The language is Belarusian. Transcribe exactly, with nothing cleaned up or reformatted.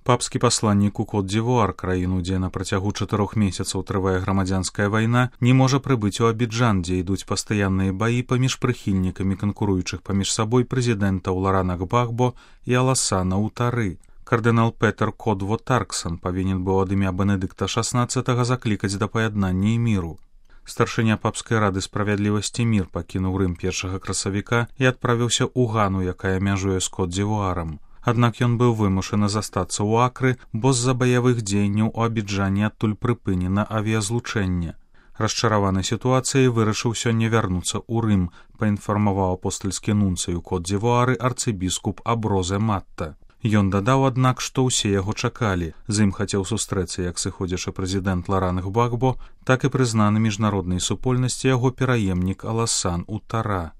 Папскі пасланнік у Кот-д'Івуар, краіну, дзе на працягу чатырох месяцаў трывае грамадзянская вайна, не можа прыбыць у Абіджан, дзе ідуць пастаянныя баі паміж прыхільнікамі канкуруючых паміж сабой прэзідэнтаў Ларана Гбагбо і Аласана Утары. Кардынал Петер Кодво-Тарксан павінен быў ад імя Бенедыкта шаснаццатага заклікаць да паяднання і міру. Старшыня папскай рады справядлівасці мір пакінуў Рым першага красавіка і адправіўся ў Гану, якая мяжуе з Кот-д'Івуарам. Аднак ён быў вымушаны застацца ў Акры, бо з-за баявых дзеянняў у Абіджане адтуль прыпынена авіязлучэнне. Расчараваны сітуацыяй вырашыў сёння вярнуцца ў Рым, паінфармаваў апостальскі нунцый у Кот-д'Івуары арцыбіскуп Аброзе Матта. Ён дадаў, аднак, што ўсе яго чакалі. З ім хацеў сустрэцца як сыходзячы прэзідэнт Ларан Гбагбо, так і прызнаны міжнароднай супольнасці яго пераемнік Аласан Утара.